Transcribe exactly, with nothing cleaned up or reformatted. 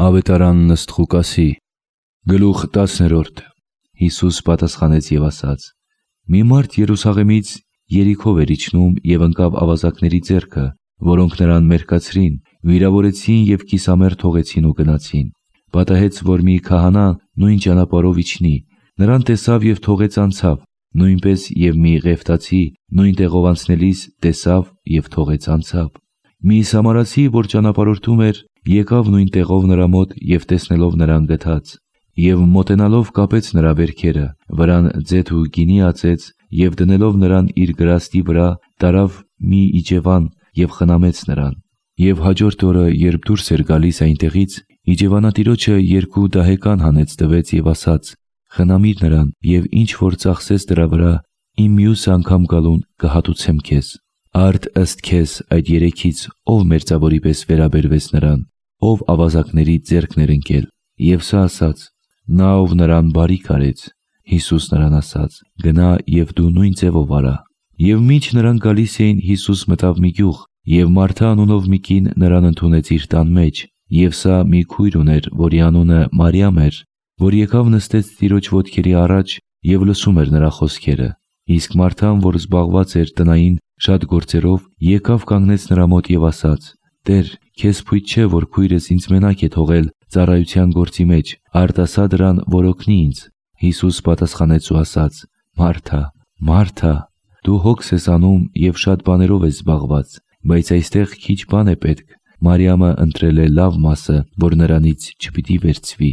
Ավետարան ըստ Ղուկասի, գլուխ տասներորդ։ Հիսուս պատասխանեց եւ ասաց. Մի մարդ Երուսաղեմից Երիքով էր իջնում եւ ընկավ ավազակների ձեռքը, որոնք նրան մերկացրին, վիրավորեցին եւ կիսամերկ թողեցին ու գնացին։ Պատահեց, որ մի քահանա նույն ճանապարհով իջնի, նրան տեսավ եւ թողեց անցավ, նույնպես եւ մի Ղևտացի նույն տեղով անցնելիս տեսավ եւ թողեց անցավ։ Մի Սամարացի, որ ճանապարհորդում էր, եկավ նույն տեղով նրա մոտ եւ տեսնելով նրան գթաց, եւ մոտենալով կապեց նրա վերքերը, վրան ձեթ ու գինի ածեց եւ դնելով նրան իր գրաստի վրա տարավ մի իջևան եւ խնամեց նրան։ Եվ հաջորդ օրը, երբ դուրս էր գալիս այնտեղից, իջևանատիրոջը երկու դահեկան հանեց տվեց եւ ասաց. խնամիր նրան եւ ինչ որ ծախսես դրա վրա, իմ մյուս անգամ գալուն կհատուցեմ քեզ։ Արդ ըստ քեզ այդ երեքից ով մերձավորի պես վերաբերվեց նրան, ով ավազակների ձեռքն էր ընկել։ Եվ սա ասաց. նա ով նրան բարիք արեց։ Հիսուս նրան ասաց. գնա եւ դու նույն ձևով արա։ Եվ մինչ նրանք գալիս էին, Հիսուս մտավ մի գյուղ, եւ Մարթա անունով մի կին նրան ընդունեց իր տան մեջ, եւ սա մի քույր ուներ, որի անունը Մարիամ էր, որ եկավ նստեց Տիրոջ ոտքերի առաջ եւ լսում էր նրա խոսքերը։ Իսկ Մարթան, որ զբաղված էր տնային շատ գործերով, եկավ կանգնեց նրա մոտ եւ ասաց. Տեր, քեզ փույթ չէ, որ քույրս ինձ մենակ է թողել ծառայության գործի մեջ, արդ ասա դրան, որ օգնի ինձ։ Հիսուս պատասխանեց ու ասաց. Մարթա, Մարթա, դու հոգս ես անում եւ շատ բաներով ես զբաղված, բայց այստեղ քիչ բան է պետք։ Մարիամը ընտրել է լավ մասը, որ նրանից չպիտի վերցվի։